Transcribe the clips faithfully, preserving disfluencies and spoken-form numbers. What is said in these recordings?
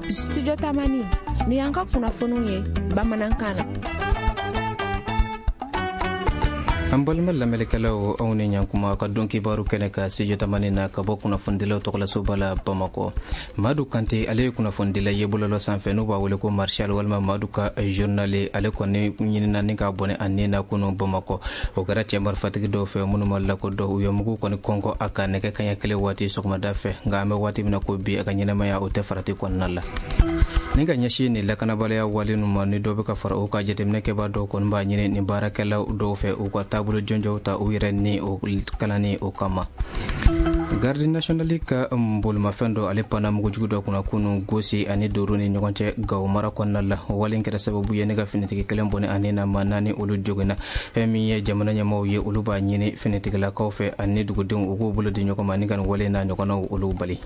Studio Tamani, ni y'an ka kunnafoniw ye bamanankan na. An balima lamɛnlikɛlaw, aw ni ɲankuma ka don kibaru kɛnɛ ka Studio Tamani na ka bɔ kunnafonidilaw tɔgɔlasoba la Bamakɔ. Madu Kante, ale ye kunnafonidila ye bɔlɔlɔ sanfɛ, n'u b'a wele ko Marshal walima Madu ka journal, ale kɔni ɲinina ni k'a bɔnɛ a ni na kunu Bamakɔ. O kɛra cɛ marifatigi dɔw fɛ minnu ma lakodɔn. U ye mugu kɔni kɔnkɔ a kan nɛgɛ kaɲɛ kelen waati sɔgɔmada fɛ, nka an bɛ waati min na ko bi, a ka ɲɛnamaya o tɛ farati kɔnɔna la. Ni ka ɲɛsin nin lakanabaliya wale ninnu ma, ni dɔ bɛ ka fara u ka jateminɛ kɛbaa dɔw kɔni b'a ɲini nin baarakɛlaw dɔw fɛ, u ka taabolo jɔnjɔnw ta u yɛrɛ ni o kalanni o kama. Garde nationale ka bolimafɛn dɔ, ale panna mugujugu dɔ kunna kunu Gosi ani Doro ni ɲɔgɔn cɛ, Gawo mara kɔnɔna la. O wale kɛra sababu ye ne ka finitigi kelen bɔnɛ ani na, maa naani olu joginna. Fɛn min ye jamana ɲɛmaaw ye, olu b'a ɲini finitigilakaw fɛ ani dugudenw, u k'u bolo di ɲɔgɔn ma ni ka nin wale n'a ɲɔgɔnnaw olu bali.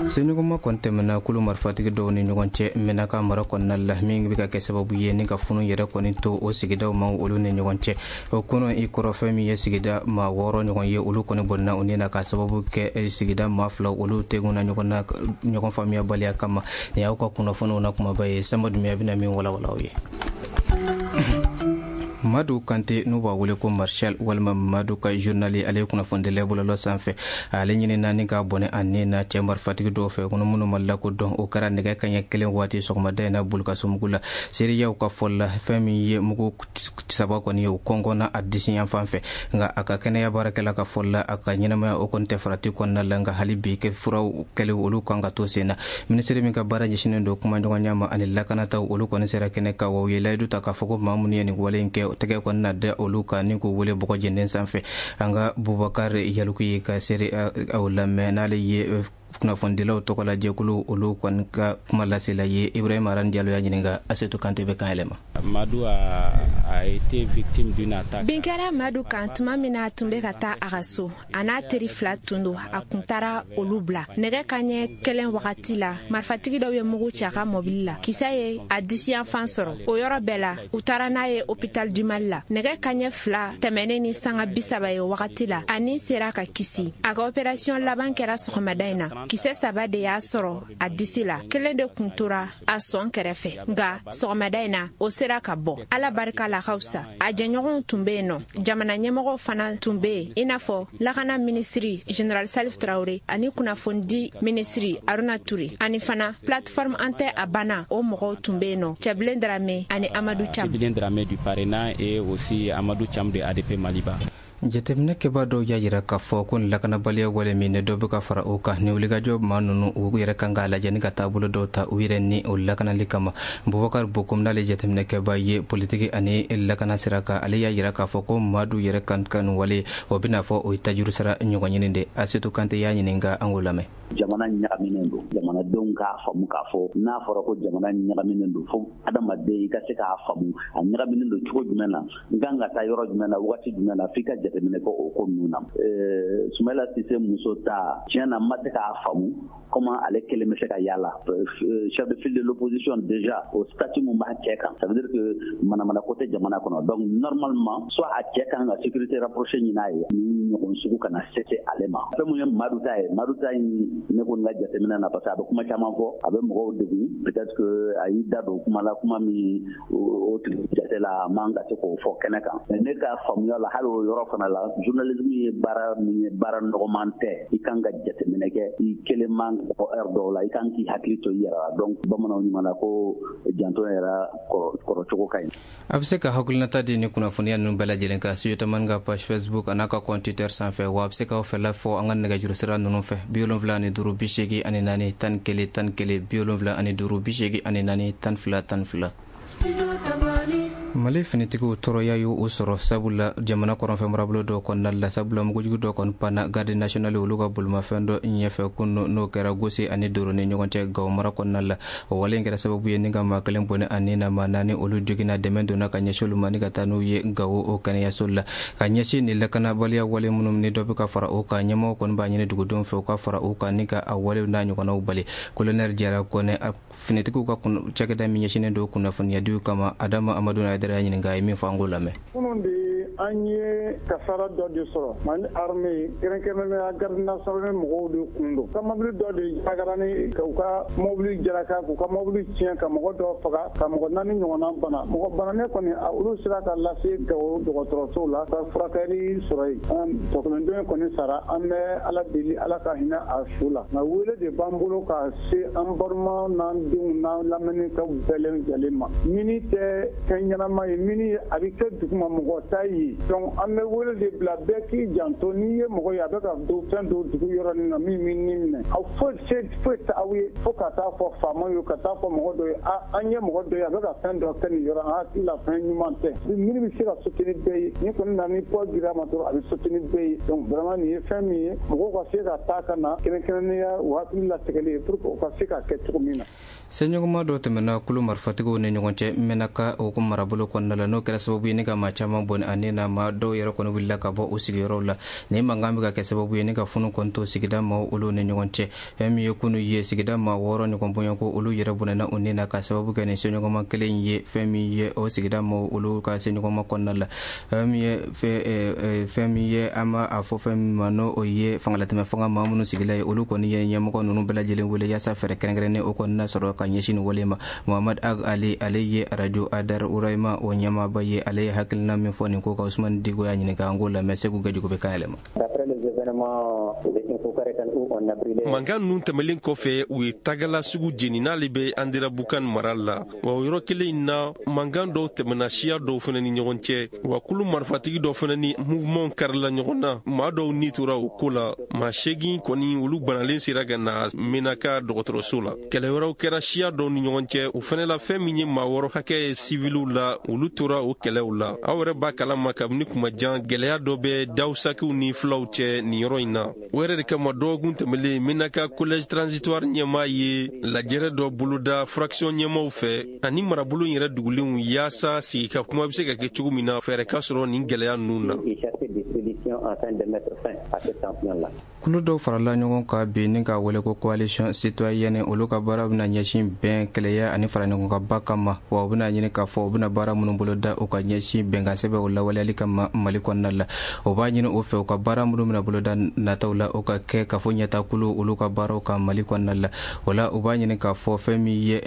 Seɲɔgɔnma kɔni tɛmɛna kulu marifatigi dɔw ni ɲɔgɔn cɛ Menaka mara kɔnɔna la, min bɛ ka kɛ sababu ye ni ka funu yɛrɛ kɔni to o sigidaw ma olu ni ɲɔgɔn cɛ. O kɔnɔ i kɔrɔ, fɛn min ye sigida maa wɔɔrɔ ɲɔgɔn ye, olu kɔni bɔnna u ni na ka sababu kɛ sigida maa fila olu tegun na ɲɔgɔn na ɲɔgɔn faamuyabaliya kama. Nin y'aw ka kunnafoniw na kumaba ye. Sanba Dumiya bɛna min walawala aw ye. Madu Kante, n'u b'a wele ko Marshal walima Madu ka journal, ale ye kunnafonidila bɔlɔlɔ sanfɛ. Ale ɲinina ni k'a bɔnɛ a ni na cɛ marifatigi dɔw fɛ kɔnɔ minnu ma lakodɔn. O kɛra nɛgɛ kaɲɛ kelen waati sɔgɔmada in na Bolokasumugu la. Seereyaw ka fɔ la, fɛn min ye mugu saba kɔni ye, o kɔnkɔnna a disi yan fan fɛ, nka a ka kɛnɛya baarakɛla ka fɔ la, a ka ɲɛnamaya o kɔni tɛ farati kɔnɔna la, nka hali bi kɛ furaw kɛlen olu kan ka to sen na. Minisiri min ka baara ɲɛsinnen don kumaɲɔgɔnya ma ani lakanataw, olu kɔni sera kɛnɛ kan wa u ye layidu ta k'a fɔ ko maa minnu ye nin wale in kɛ, tɛgɛ kɔni na da olu kan ni k'u wele bɔgɔ jenden sanfɛ. An ka Bubakar Yaliku ye ka seere aw lamɛn, n'ale ye kunnafonidilaw tɔgɔ la jɛkulu olu kɔni ka kuma lasela ye. Ibrahima Aran Diallo y'a ɲininka, Asetu Kante bɛ kan yɛlɛma. Madu a, a été victime d'une attaque. Bin kɛra Madu kan tuma min na a tun bɛ ka taa a ka so. A n'a teri fila tun don, a kun taara olu bila. Nɛgɛ kaɲɛ kelen wagati la, marifatigi dɔw ye mugu ci a ka mɔbili la. Kisɛ ye a disiyanfan sɔrɔ. O yɔrɔ bɛɛ la, u taara n'a ye hôpital du Mali la. Nɛgɛ kaɲɛ fila tɛmɛnen ni sanga bi saba ye wagati la, a ni sera ka kisi. A ka opération laban kɛra sɔgɔmada in na. Kisɛ saba de y'a sɔrɔ a disi la, kelen de kun tora a sɔn kɛrɛfɛ, nka sɔgɔmada in na o sera ka bɔ. Ala barika la, ka fisa. A jɛɲɔgɔnw tun bɛ yen nɔ, jamana ɲɛmɔgɔw fana tun bɛ yen, i n'a fɔ lakana minisiri général Salif Traoré ani kunnafonidi minisiri Aruna Ture, ani fana plateforme An tɛ a banna o mɔgɔw tun bɛ yen nɔ, Cɛbilen Darame ani Amadou Cham. Cɛbilen Darame du Parena et aussi Amadou Cham de A D P Maliba. Jateminɛ kɛbaa dɔw y'a jira k'a fɔ ko nin lakanabaliya wale min, ni dɔ bɛ ka fara o kan, ni wulikajɔ maa ninnu u yɛrɛ kan k'a lajɛ ni ka taabolo dɔw ta u yɛrɛ ni o lakanali kama. Bubakar Bokum, n'ale jateminɛ kɛbaa ye politiki ani lakana sira kan, ale y'a jira k'a fɔ ko Madu yɛrɛ kan ka nin wale o bɛna fɔ o ye tajuru sara ɲɔgɔn ɲini de. Asetu Kante y'a ɲininka, an k'o lamɛn. Jamana ɲagaminen don. Jamanadenw k'a faamu k'a fɔ n'a fɔra ko jamana ɲagaminen don, fo adamaden i ka se k'a faamu a ɲagaminen don cogo jumɛn na, n kan ka taa yɔrɔ jumɛn na, waati jumɛn na, f'i ka jateminɛ kɛ o ko ninnu na. Sumayila Sise muso ta, tiɲɛ na, n ma se k'a faamu comment ale kelen bɛ se ka yala chef de file de l'opposition. Déjà, o statut mun b'a cɛ kan, ça veut dire que manamana ko tɛ jamana kɔnɔ. Donc normalement, soit a cɛ kan ka sécurité rapprochée ɲini a ye, ni ɲɔgɔn sugu kana se ale ma. Fɛn mun ye Madu ta ye, Madu ta in, ne kɔni ka jateminɛ na, parce que a bɛ kuma caman fɔ, a bɛ mɔgɔw degun, peut-être que a y'i da don kuma la, kuma min o tigi jate la a man ka se k'o fɔ kɛnɛ kan. Mais ne ka faamuya la, hali o yɔrɔ fana la, journalisme ye baara min ye, baara nɔgɔman tɛ. I kan ka jateminɛ kɛ, i kelen man fɔ heure dɔw la, i kan k'i hakili to i yɛrɛ la. Donc bamananw ɲuman na ko janto yɛrɛ kɔrɔcogo ka ɲi. A bɛ se ka hakilinata di ni kunnafoniya ninnu bɛɛ lajɛlen kan Studio Tamani ka page Facebook a n'a ka compte Twitter sanfɛ, wa a bɛ se k'aw fɛla fɔ an ka nɛgɛjuru sira ninnu fɛ: bi wolonwula ani duuru bi seegin ani naani tan ni kelen tan ni kelen, bi wolonwula ani duuru bi seegin ani naani tan fila tan fila. Mali finitigiw tɔɔrɔya y'u sɔrɔ, sabula jamana kɔrɔnfɛ marabolo dɔw kɔnɔna la, sabula mugujugu dɔ kɔni panna garde nationale olu ka bolimafɛn dɔ ɲɛfɛ kunun, n'o kɛra Gosi ani Doro ni ɲɔgɔn cɛ, Gawo mara kɔnɔna la. O wale in kɛra sababu ye ni ka maa kelen bɔnɛ ani na, maa naani olu joginna. Dɛmɛ donna ka ɲɛsin olu ma ni ka taa n'u ye Gawo o kɛnɛyaso la. Ka ɲɛsin nin lakanabaliya wale minnu, ni dɔ bɛ ka fara o kan, ɲɛmɔgɔw kɔni b'a ɲini dugudenw fɛ u ka fara o kan ni ka a walew n'a ɲɔgɔnnaw bali. Colonel Jara Kɔnɛ, finitigiw ka cakɛda min ɲɛsinnen don kunnafoniyadiw kama, Adama Amadu Hayidara y'a ɲininka, a ye min fɔ, an k'o lamɛn. Kunun de An ye kasara dɔ de sɔrɔ Mali armée kɛrɛnkɛrɛnnenya garde nationale mɔgɔw de kun don. Ka mobili dɔ de jagara ni k'u ka mobili jalaka k'u ka mobili tiɲɛ ka mɔgɔ dɔ faga ka mɔgɔ naani ɲɔgɔnna bana. Mɔgɔ bananen kɔni olu sera ka lase Gawo dɔgɔtɔrɔso la ka furakɛli sɔrɔ yen. Tɔkɔnɔden kɔni sara, an bɛ Ala deli Ala ka hinɛ a su la. Nka wele de b'an bolo ka se an balimaw n'an denw n'an lamɛnnikaw bɛɛ lajɛlen ma. Mini tɛ fɛn ɲɛnama ye, mini a bɛ kɛ duguma mɔgɔ ta ye. Donc an bɛ wele de bila bɛɛ k'i janto, n'i ye mɔgɔ ye a bɛ ka don fɛn dɔ dugu yɔrɔnin na min b'i ni minɛ. Aw foyi se foyi tɛ aw ye fo ka taa fɔ faamaw ye, ka taa fɔ mɔgɔ dɔ ye, a an ye mɔgɔ dɔ ye a bɛ ka fɛn dɔ kɛ nin yɔrɔ, an hakili la fɛn ɲuman tɛ. Mini bɛ se ka soutenir bɛɛ ye, ni kɔni nana ni poids gir'a ma dɔrɔn a bɛ soutenir bɛɛ ye. Donc vraiment nin ye fɛn min ye mɔgɔw ka se ka taa ka na kɛrɛnkɛrɛnnenya u hakili latigɛlen pour que u ka se ka kɛ cogo min na. Seɲɔgɔnma dɔ tɛmɛna kulu marifatigiw ni ɲɔgɔn cɛ Menaka o ko marabolo kɔnɔna la, n'o kɛra sababu ye ni ka maa caman bɔnɛ ani na maa dɔw yɛrɛ kɔni wulila ka bɔ u sigiyɔrɔw la. Nin mankan bɛ ka kɛ sababu ye ni ka funu kɔni to sigida maaw olu ni ɲɔgɔn cɛ. Fɛn min ye kunu ye sigida maa wɔɔrɔ ɲɔgɔn bɔɲɔgɔnko olu yɛrɛ bɔnɛna u ni na ka sababu kɛ nin seɲɔgɔnma kelen ye fɛn min ye o sigida maaw olu ka seɲɔgɔnma kɔnɔna la. Fɛn min ye fɛn min ye an b'a a fɔ fɛn min ma n'o ye fangalatɛmɛ fanga maa minnu sigila ye, olu kɔni ye ɲɛmɔgɔ ninnu bɛɛ lajɛlen wele yaasa fɛɛrɛ kɛrɛnkɛrɛnnen o kɔni na sɔrɔ ka ɲɛsin nin wale ma. Muhammad Ag Ali ale ye arajo Adar Urayima o ɲɛmaaba ye, ale ye hakilina min fɔ nin ko kan Usumani Diko y'a ɲininka, an k'o lamɛn. Segu Gajugu bɛ kan yɛlɛma. Mankan ninnu tɛmɛlen kɔfɛ, u ye tagala sugu jeni n'ale bɛ Anderabukan mara la. Wa o yɔrɔ kelen in na, mankan dɔw tɛmɛna siya dɔw fana ni ɲɔgɔn cɛ. Wa kulu marifatigi dɔ fana ni mouvement karila ɲɔgɔn na. Maa dɔw ni tora o ko la. Maa seegin kɔni olu banalen sera ka na Menaka dɔgɔtɔrɔso la. Kɛlɛ wɛrɛw kɛra siya dɔw ni ɲɔgɔn cɛ. O fana la, fɛn min ye maa wɔɔrɔ hakɛ ye siviliw la, olu tora o kɛlɛw la. Aw yɛrɛ b'a kalama kabini kuma jan gɛlɛya dɔ bɛ dawusakiw ni filaw cɛ nin yɔrɔ in na. O yɛrɛ de kama dɔgɔkun tɛmɛlen Menaka collège transitoire ɲɛmaa ye lajɛrɛ dɔ boloda fraction ɲɛmaaw fɛ ani marabolo yɛrɛ dugulenw yaasa sigika kuma bɛ se ka kɛ cogo min na fɛɛrɛ ka sɔrɔ nin gɛlɛya ninnu na. Kulu dɔw farala ɲɔgɔn kan bi ni ka wele ko coalition citoyenne, olu ka baara bɛna ɲɛsin bɛn, kɛlɛya ani fara ɲɔgɔn kan ba kama. Wa u bɛna ɲini k'a fɔ u bɛna baara minnu boloda u ka ɲɛsin bɛnkan sɛbɛn o lawaleyali kama Mali kɔnɔna la. O b'a ɲini o fɛ u ka baara minnu bɛna boloda nataw la o ka kɛ k'a fɔ ɲɛtakulu olu ka baaraw kan Mali kɔnɔna la. O la u b'a ɲini k'a fɔ fɛn min ye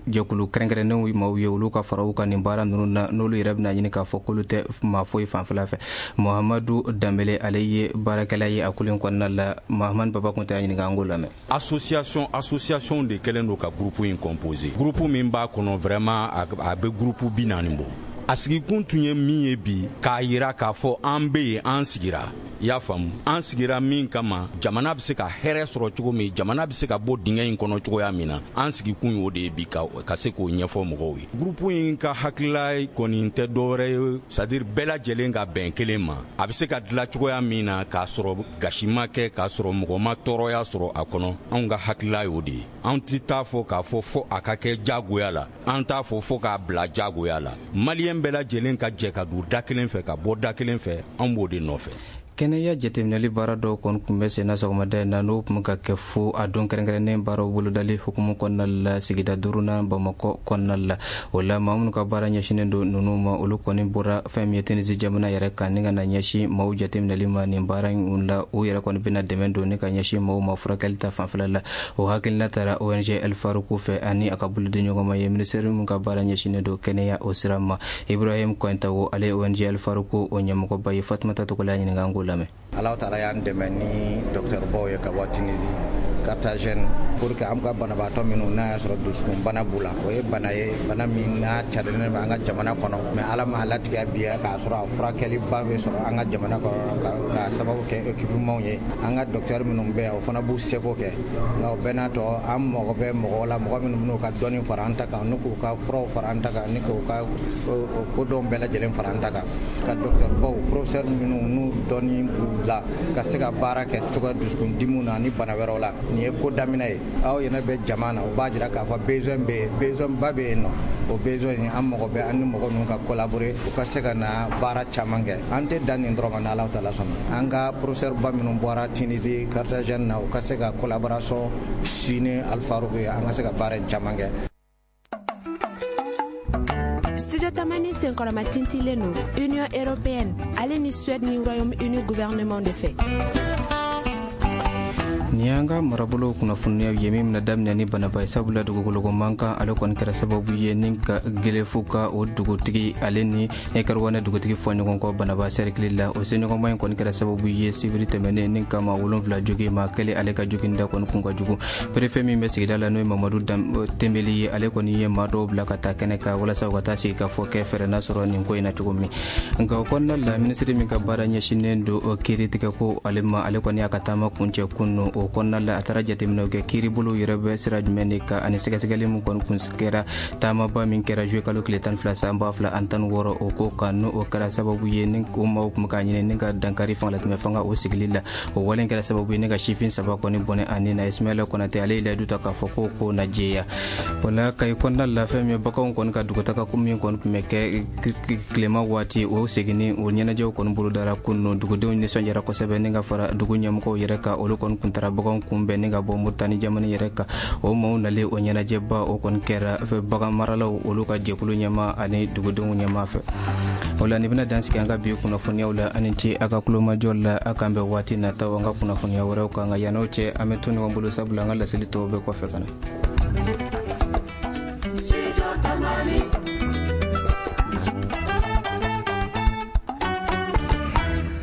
jɛkulu kɛrɛnkɛrɛnnenw maaw ye olu ka fara u kan nin baara ninnu na, n'olu yɛrɛ bɛna ɲini k'a fɔ k'olu tɛ maa foyi fanfɛla fɛ. Muhamadu Danbele ale ye baarakɛla ye a kulu in kɔnɔna la. Mahamadu Baba Kunta y'a ɲininka, an k'o lamɛn. Association association de kɛlen don ka groupe in composé. Groupe min b'a kɔnɔ vraiment a bɛ groupe bi naani bɔ. A sigikun tun ye min ye bi, k'a yira k'a fɔ an bɛ yen, an sigira. I y'a faamu, an sigira min kama, jamana bɛ se ka hɛrɛ sɔrɔ cogo min, jamana bɛ se ka bɔ dingɛ in kɔnɔ cogoya min na, an sigikun y'o de ye bi ka, ka se k'o ɲɛfɔ mɔgɔw ye. Groupe in ka hakilila kɔni tɛ dɔwɛrɛ ye, c'est à dire bɛɛ lajɛlen ka bɛn kelen ma. A bɛ se ka dilan cogoya min na k'a sɔrɔ gasi ma kɛ, k'a sɔrɔ mɔgɔ ma tɔɔrɔya sɔrɔ a kɔnɔ, anw ka hakilila y'o de ye. Anw tɛ taa fɔ k'a fɔ fo a ka kɛ jagoya la, an t'a fɔ fo k'a bila jagoya la. Maliyɛn bɛɛ lajɛlen ka jɛ ka don da kelen fɛ ka bɔ da kelen fɛ, anw b'o de nɔfɛ. Kɛnɛya jateminɛli baara dɔw kɔni tun bɛ senna sɔgɔmada in na, n'o tun ka kɛ fo a don kɛrɛnkɛrɛnnen baaraw bolodali hukumu kɔnɔna la sigida duurunan Bamakɔ kɔnɔna la. O la maa minnu ka baara ɲɛsinnen don ninnu ma, olu kɔni bɔra fɛn min ye Tunisie jamana yɛrɛ kan ni ka na ɲɛsin maaw jateminɛli ma nin baara in la. U yɛrɛ kɔni bɛna dɛmɛ don ni ka ɲɛsin maaw ma furakɛli ta fanfɛla la. O hakilina taara O N G El Farouk fɛ ani a ka bolodenɲɔgɔnma ye ministère min ka baara ɲɛsinnen don kɛnɛya o sira ma. Ibrahim Kɔntawo ale ye O N G El Farouk o ɲɛmɔgɔba ye. Fatumata Togola y'a ɲininka, an k'o lamɛn. Ala taala y'an dɛmɛ ni docteur baw ye ka bɔ Tunisie, Carthagène, pour que an ka banabaatɔ minnu n'a y'a sɔrɔ dusukunbana b'u la, o ye bana ye, bana min n'a carilen bɛ an ka jamana kɔnɔ, mais Ala m'a latigɛ bi k'a sɔrɔ a furakɛliba bɛ sɔrɔ an ka jamana kɔnɔ ka sababu kɛ équipement ye. An ka docteur minnu bɛ yan, o fana b'u seko kɛ, nka o bɛɛ n'a tɔ an mago bɛ mɔgɔw la, mɔgɔ minnu b'u ka dɔnni fara an ta kan, n'u k'u ka furaw fara an ta kan, ni k'u ka kodɔn bɛɛ lajɛlen fara an ta kan, ka docteur baw, professeur minnu n'u dɔnni b'u la ka se ka baara kɛ cogoya dusukundimiw na ni bana wɛrɛw la. Nin ye ko daminɛ ye, aw yɛrɛ bɛ jama na, o b'a jira k'a fɔ besoin bɛ yen, besoin ba bɛ yen nɔ. O besoin in an mago bɛ an ni mɔgɔ ninnu ka collaborer u ka se ka na baara caman kɛ. An tɛ dan nin dɔrɔn ma, n'Ala taala sɔnna. An ka professeur ba minnu bɔra Tunisie, Carthagène na, u ka se ka collaboration signer Al Farouk ye, an ka se ka baara in caman kɛ. Studio Tamani sen Senkɔrɔmatintilen don Union européenne ale ni Suède ni Royaume-Uni gouvernement de fɛ. Nin y'an ka marabolo kunnafoniyaw ye min bɛna daminɛ ni Banaba ye, sabula dugukoloko mankan ale kɔni kɛra sababu ye ni ka Gelefu ka o dugutigi ale ni Kariwane dugutigi fɔ ɲɔgɔn kɔ Banaba sɛrikili la. O seɲɔgɔnma in kɔni kɛra sababu ye sibiri tɛmɛnen ni ka maa wolonfila jogi, maa kelen ale ka joginda kɔni kun ka jugu. Préfet min bɛ sigida la, n'o ye Mamadu Tembeli ye, ale kɔni ye maa dɔw bila ka taa kɛnɛ kan walasa u ka taa sigi ka fɔ kɛ fɛɛrɛ n'a sɔrɔ nin ko in na cogo min. Nka o kɔnɔna la, minisiri min ka baara ɲɛsinnen don kiiritigɛ ko ale ma, ale kɔni y'a ka taama kuncɛ kunun. O kɔnɔna la, a taara jateminɛw kɛ kiiribolo yɛrɛ bɛ sira jumɛn de kan ani sɛgɛsɛgɛli min kɔni kun kɛra taamaba min kɛra juillet kalo tile tan fila san ba fila ani tan wɔɔrɔ o ko kan, n'o o kɛra sababu ye ni o maaw tun bɛ k'a ɲini ni ka dankari fangalatɛmɛ fanga o sigili la. O wale kɛra sababu ye ni ka sifin saba kɔni bɔnɛ ani na. Ismaila Konate ale ye layidu ta k'a fɔ ko ko na jɛya. O la, Kayi kɔnɔna la, fɛn min ye baganw kɔni ka dugutaga ko min kɔni tun bɛ kɛ tilema waati, o seginni o ɲɛnajɛw kɔni bolodara kunun. Dugudenw nisɔndiyara kosɛbɛ ni ka fara dugu ɲɛmɔgɔw yɛrɛ kan, olu kɔni kun taara baganw kunbɛn ni ka bɔ Moritani jamana yɛrɛ kan. O maaw nalen, o ɲɛnajɛba o kɔni kɛra bagan maralaw olu ka jɛkulu ɲɛma ani dugudenw ɲɛma fɛ. O la, nin bɛna dan sigi an ka bi kunnafoniyaw la. Ani ce a ka kulomajɔ la. A k'an bɛn waati nataw an ka kunnafoniya wɛrɛw kan. Nka yann'o cɛ, an bɛ to ɲɔgɔn bolo, sabula an ka laseli tɔw bɛ kɔfɛ ka na.